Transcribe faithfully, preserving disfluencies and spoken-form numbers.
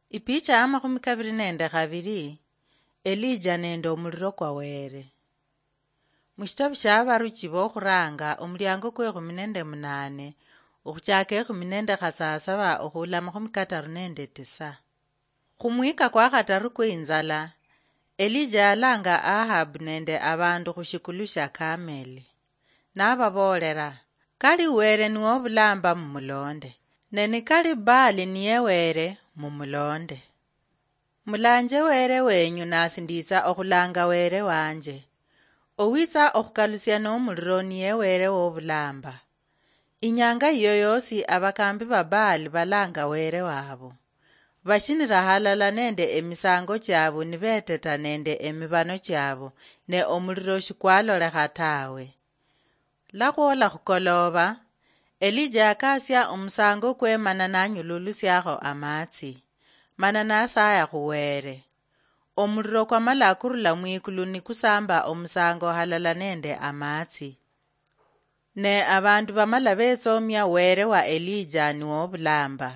Ipicha ya makhumi kabiri nende khabiri. Elija nende omuliro kwa Were. Mushitabu shia Abaruchi bokhuranga, omuliango kwe ekhumi nende munane, okhuchaka ekhumi nende khasasaba okhula makhumi kataru nende tisa. Khumwika kwa khataru kwe inzala, Elija yalanga Ahab nende abandu khushikulu shia Kameli, nababoolera, "Kali Were niwo obulamba, mumulonde, ne nikali Baali niye Were, mumulonde. Mulanje Were wenyu, nasi nditsa okhulanga Were wanje. Owitsa okhukalusia nomuliro niye Were wobulamba." Inyanga iyo yosi abakambi ba Baali balanga Were wabo. Bashinira halala nende emisango chiabu nibeteta nende emibano chiabu, ne omuliro shikwalolekha tawe. Lakhwola khukoloba, Elija yakasia omusango kwe mana nanyululusiakho amatsi, mana nasaya khu Were. Omuliro kwamala kurula mwikulu nikusamba omusango halala nende amatsi. Ne abandu bamala betsomia Were wa Elija niwo obulamba.